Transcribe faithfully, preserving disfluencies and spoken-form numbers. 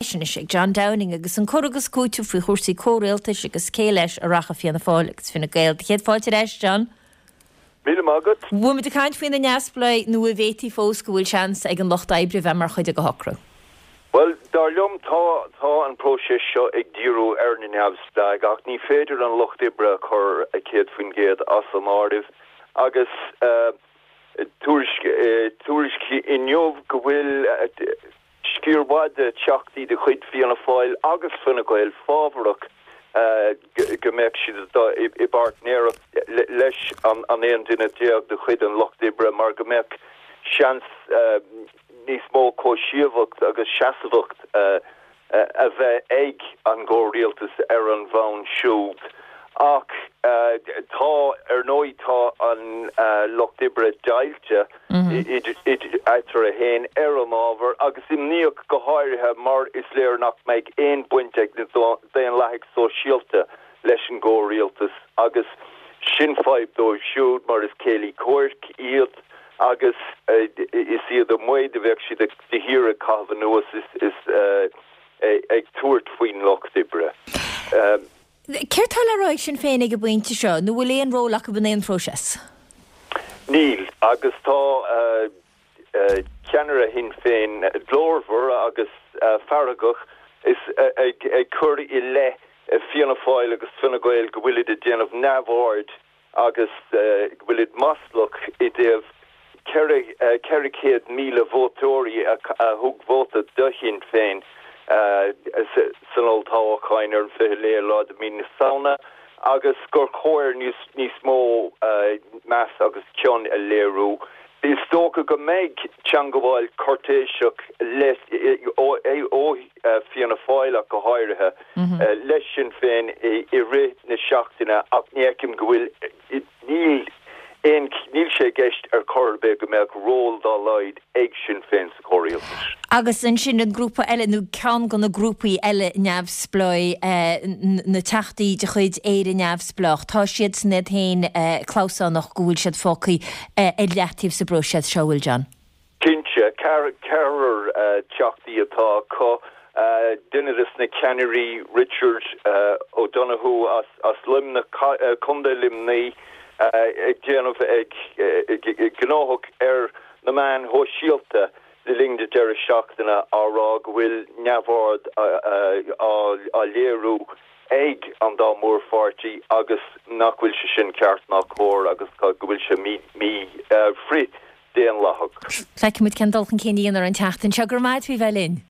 Anois ag John Downing agus an cur agus cúiteamh faoi chúrsaí comhrialtais agus cé leis a rachaidh Fianna Fáil agus Fine Gael. Céad fáilte ar ais, John. Míle maith agat. Bhí muid ag caint faoi na neamhspleáigh nó an bhféadfaí fós go bhfuil seans ag an lucht oibre bheith mar chuid de shocrú. Well, dar liom tá tá an próiseas seo ag díriú ar na neamhspleáigh ach ní féidir an lucht oibre a chur a céad faoin gcéad as an áireamh agus uh, tuairisc uh, tuairisc inniu go bhfuil uh, sciar mhaith de theachtaí de chuid Fianna Fáil agus Fine Gael fábharach uh, go mbeadh siad i, i bpáirtnéireacht leis an an aon duine déag de chuid an lucht oibre mar go mbeadh seans uh, níos mó cóisíomhacht agus seasamhacht uh, uh, a bheith ag an gcomhrialtas ar an bhonn siúd. Ach uh, tá ar ndóigh tá an uh, lucht oibre deighilte mm -hmm. eatarthu féin ar an ábhar agus imníoch go háirithe mar is léir nach mbeidh aon bhaint ag na daonlathaigh sóisialta leis an gcomhrialtas agus sin fadhb dóibh siúd mar is céilí comhraic iad agus uh, is iad amuigh a bheadh siad de shíor ag caitheamh anuas is, is uh, ag tabhairt faoin lucht oibre. Um, Céard tá le rá ag Sinn Féin ag an bpointe seo, nó bhfuil aon ról acu in aon phróiseas? Níl agus tá uh, uh, ceannaire Shinn Féin glórmhar agus uh, feargach is uh, ag, ag cur i leith uh, Fianna Fáil agus Fine Gael go bhfuil ag déanamh neamhaird agus uh, go bhfuil maslach i dtaobh ceithre chéad míle vótóirí a, a thug vóta do Shinn Féin uh, san olltoghchán ar an fiche lá de mhí na Samhna agus gur chóir níos níos mó uh, meas agus cion a léiriú. Is dócha go mbeidh teagmháil cúirtéiseach ó ó Fianna Fáil go háirithe mm -hmm. uh, leis Sinn Féin i, i rith na seachtaine ach ní fheicim go bhfuil níl aon níl sé i gceist ar chor ar bith go mbeadh ról dá laghad ag Sinn Féin sa chomhrialtas. Agus ansin an grúpa eile nó ceann de na grúpaí eile neamhspleách eh, na teachtaí de chuid Éire Neamhspleách, Tá siad san iad féin eh, clamhsánach go bhfuil siad fágtha eh, ar leataobh sa bpróiseas seo bhfuil John. Cinnte ceathrar teachtaí atá acu uh, duine de na ceannairí Richard uh, O'Donoghue as, as Luimneach uh, Contae Luimnigh ag déanamh ag gnóthach ar na meáin shóisialta le linn na deireadh seachtaine á rá go bhfuil neamhaird á léiriú ag an dá mhórpháirtí agus nach bhfuil sé sin ceart ná cóir agus go bhfuil sé mí mí frith-daonlathach. Feicfimid cén dul chun cinn ar an tseachtain seo go maith bhí bheith linn.